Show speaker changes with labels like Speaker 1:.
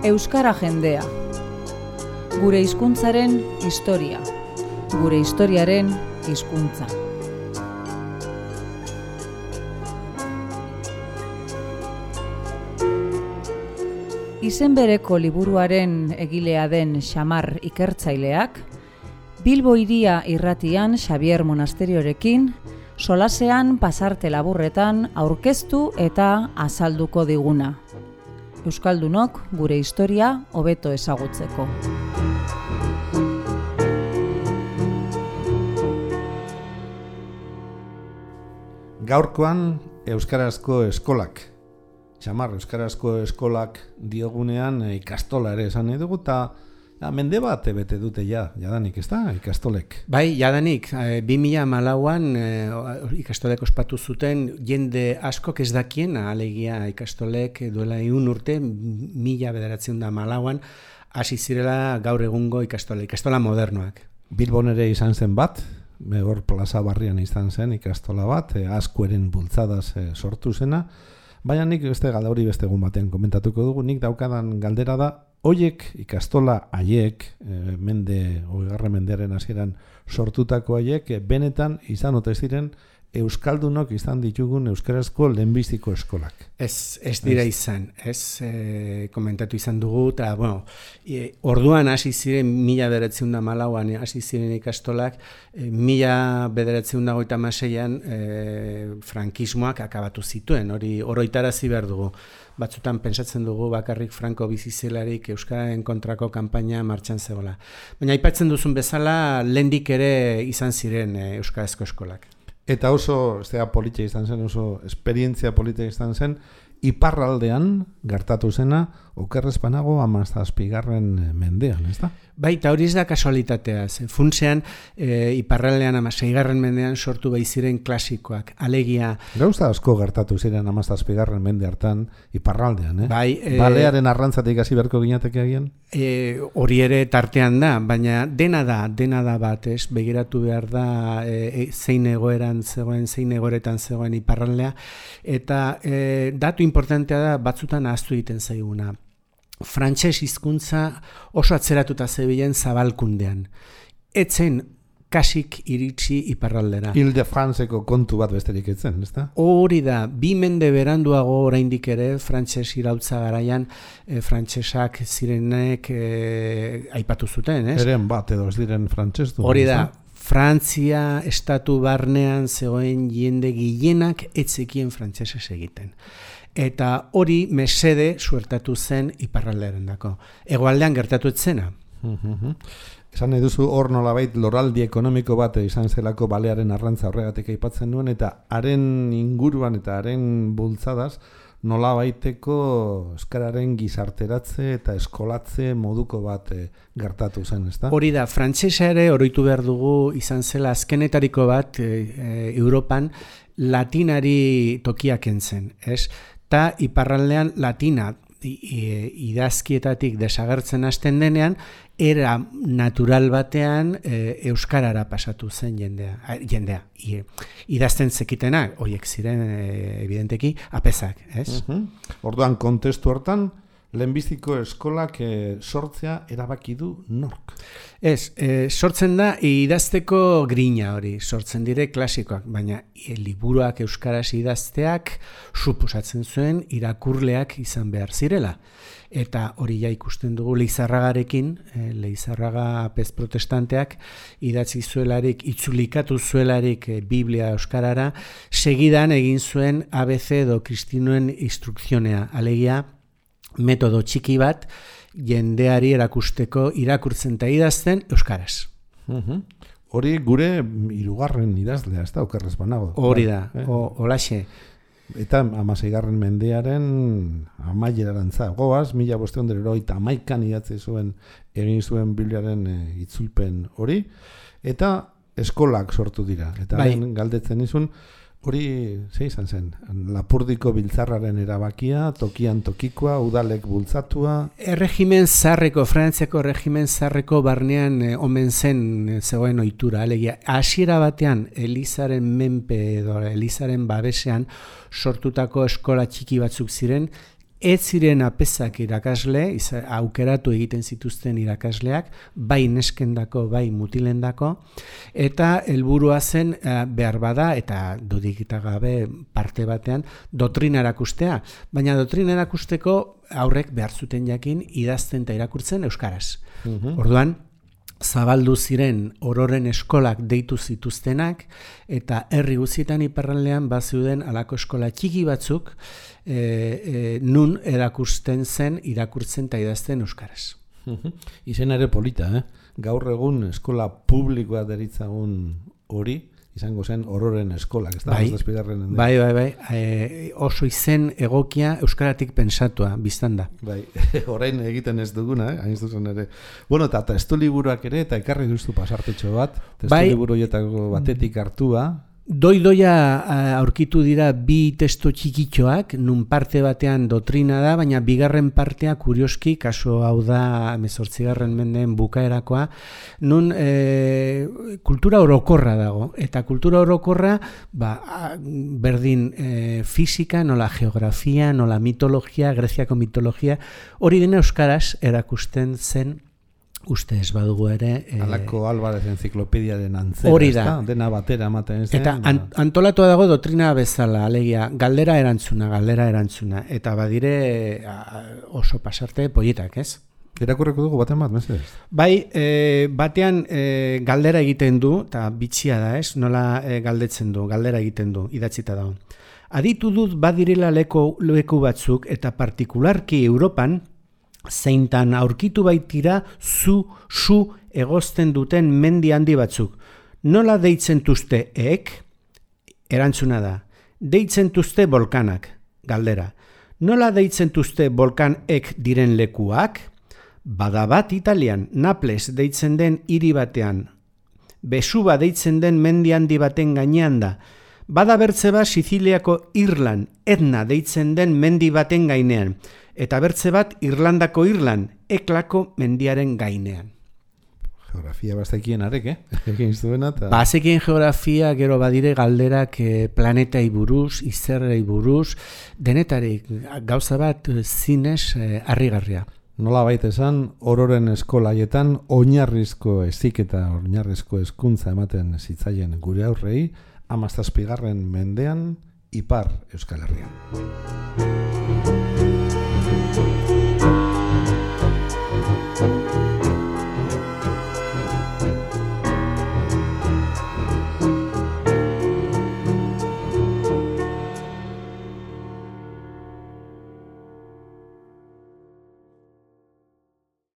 Speaker 1: Euskara jendea. Gure hizkuntzaren historia. Gure historiaren hizkuntza. Izen bereko liburuaren egilea den Xamar ikertzaileak, Bilbo Hiria irratian Xabier Monasteriorekin, solasean pasarte laburretan aurkeztu eta azalduko diguna. Euskaldunok gure historia hobeto ezagutzeko.
Speaker 2: Gaurkoan euskarazko eskolak. Xamar euskarazko eskolak diogunean ikastola ere esan nahi dugu, eta mende bat bete dute jadanik, ez da, ikastolek?
Speaker 3: Bai, jadanik, 2014an ikastolek ospatu zuten jende askok ez dakien, alegia ikastolek duela 1 urte, 1914an hasi zirela gaur egungo ikastola modernoak.
Speaker 2: Bilbon ere izan zen bat, hor plaza barrian izan zen ikastola bat, Azkueren bultzadaz sortu zena, baina nik beste hori beste egun batean komentatuko dugu, nik daukadan galdera da, hoiek ikastola haiek, 20. mendearen hasieran sortutako haiek, benetan izan ote ziren euskaldunok izan ditugun euskarazko lehenbiziko eskolak.
Speaker 3: Ez dira izan, komentatu izan dugu, eta orduan hasi ziren 1914an hasi ziren ikastolak, 1936an frankismoak akabatu zituen, hori oroitarazi behar dugu. Batzutan pentsatzen dugu bakarrik Franco bizi zelarik euskararen kontrako kanpaina martxan zegoela. Baina aipatzen duzun bezala, lehendik ere izan ziren euskarazko eskolak.
Speaker 2: Eta oso polita izan zen, oso esperientzia polita izan zen, iparraldean gertatu zena, okerrez banago 17. mendean, ez da?
Speaker 3: Bai, eta hori ez da kasualitatea. Funtsean, iparraldean 16. mendean sortu bai ziren klasikoak. Alegia...
Speaker 2: Gauza asko gertatu ziren 17. mende hartan iparraldean,
Speaker 3: Bai,
Speaker 2: balearen arrantzatik hasi beharko ginateke agian?
Speaker 3: Hori ere tartean da, baina dena da bat, begiratu behar da zein egoeretan zegoen iparraldea, eta datu importantea da batzutan ahaztu egiten zaiguna. Frantses hizkuntza oso atzeratuta zebilen zabalkundean. Etzen kasik iritsi iparraldera.
Speaker 2: Ile-de-Franceko kontu bat besterik etzen, ez da?
Speaker 3: Hori da, 2 mende beranduago oraindik ere frantses iraultza garaian frantsesak zirenek aipatu zuten, ez?
Speaker 2: Eren bat edo ez diren frantses du.
Speaker 3: Hori da, Frantzia estatu barnean zegoen jende gehienak etzekien frantsesez egiten. Eta hori mesede suertatu zen iparraldearendako. Hegoaldean gertatu etzena.
Speaker 2: Esan nahi duzu hor nolabait loraldi ekonomiko bat izan zelako balearen arrantza horregatik aipatzen duen, eta haren inguruan eta haren bultzadaz nolabaiteko euskararen gizarteratze eta eskolatze moduko bat gertatu zen, ez da?
Speaker 3: Hori da, frantsesa ere oroitu behar dugu izan zela azkenetariko bat Europan latinari tokiak entzen, ez? Ta iparraldean latina idazkietatik desagertzen hasten denean, era natural batean euskarara pasatu zen jendea. Idazten zekitenak, horiek ziren evidenteki apezak, ez?
Speaker 2: Orduan kontestu hortan, lehenbiziko eskolak sortzea erabaki du nork?
Speaker 3: Ez, sortzen da idazteko grina hori, sortzen dire klasikoak, baina liburuak euskaraz idazteak suposatzen zuen irakurleak izan behar zirela. Eta hori ja ikusten dugu Leizarragarekin, Leizarraga apez protestanteak idatzi zuelarik, itzulikatu zuelarik Biblia euskarara, segidan egin zuen ABC edo Kristinuen instrukzionea, alegia metodo txiki bat jendeari erakusteko irakurtzen eta idazten euskaraz.
Speaker 2: Hori gure 3. idazlea, ez da, okerrez banago.
Speaker 3: Hori da, holaxe.
Speaker 2: Eta 16. mendearen amaierarantza. Goaz, 1581an idatzi zuen, egin zuen Bibliaren itzulpen hori, eta eskolak sortu dira. Eta galdetzen izun, hori izan zen, Lapurdiko biltzarraren erabakia, tokian tokikoa, udalek bultzatua.
Speaker 3: Erregimen zarreko, Frantziako erregimen zarreko barnean omen zen zegoen ohitura. Alegia, hasiera batean Elizaren menpe edo Elizaren babesean sortutako eskola txiki batzuk ziren, ez ziren apezak irakasle, aukeratu egiten zituzten irakasleak, bai neskendako, bai mutilendako, eta helburua zen behar bada, eta dudikita gabe parte batean, doktrina erakustea. Baina doktrina erakusteko aurrek behar zuten jakin idazten eta irakurtzen euskaraz. Orduan, zabaldu ziren ororen eskolak deitu zituztenak, eta herri guztietan iparraldean bazeuden halako eskola txiki batzuk, nun erakusten zen, irakurtzen eta idazten euskaraz.
Speaker 2: Izen ere polita, Gaur egun eskola publikoa deritzagun hori, izango zen ororen eskolak, ez da?
Speaker 3: Bai. Oso izen egokia euskaratik pensatua, biztan da.
Speaker 2: Bai, orain egiten ez duguna, hain zuzen ere. Bueno, eta testu liburuak ere, eta ekarri duztu pasartetxo bat, testu liburu horietako batetik hartua.
Speaker 3: Doidoia aurkitu dira bi testo txikitxoak, nun parte batean doktrina da, baina bigarren partea kurioski, kaso hau da 18. mendeen bukaerakoa, nun kultura orokorra dago. Eta kultura orokorra, berdin fisika, nola geografia, nola mitologia, Greziako mitologia, hori dena euskaraz erakusten zen. Uste ez badugu ere...
Speaker 2: Alako Alvarez enziklopediaren antzera,
Speaker 3: hori da.
Speaker 2: Dena batera ematen zen.
Speaker 3: Eta antolatua dago doktrina bezala, alegia, galdera erantzuna. Eta badire oso pasarte polietak, ez?
Speaker 2: Irakurreko dugu baten bat, mesedez?
Speaker 3: Bai, batean galdera egiten du, eta bitxia da, ez? Nola galdetzen du, galdera egiten du, idatzita dago. Aditu dut badirela leku batzuk, eta partikularki Europan, zeintan aurkitu baitira zu egozten duten mendi handi batzuk. Nola deitzen tuzte Erantzuna da. Deitzen tuzte volkanak, galdera. Nola deitzen tuzte volkanek diren lekuak? Bada bat Italian, Naples deitzen den hiri batean. Besuba deitzen den mendi handi baten gainean da. Bada bertze bat Siziliako Irlan, Etna deitzen den mendi baten gainean. Eta bertze bat Irlandako Irlan, Eklako mendiaren gainean.
Speaker 2: Geografia bazekien arek, Ekin zuena, eta...
Speaker 3: Bazekien geografia, gero badire galderak planetai buruz, izerrei buruz, denetarik gauza bat zinez harrigarria.
Speaker 2: Nola baita esan, ororen eskolaietan oinarrizko heziketa, oinarrizko hezkuntza ematen zitzaien gure aurrei, 17. mendean, Ipar Euskal Herrian.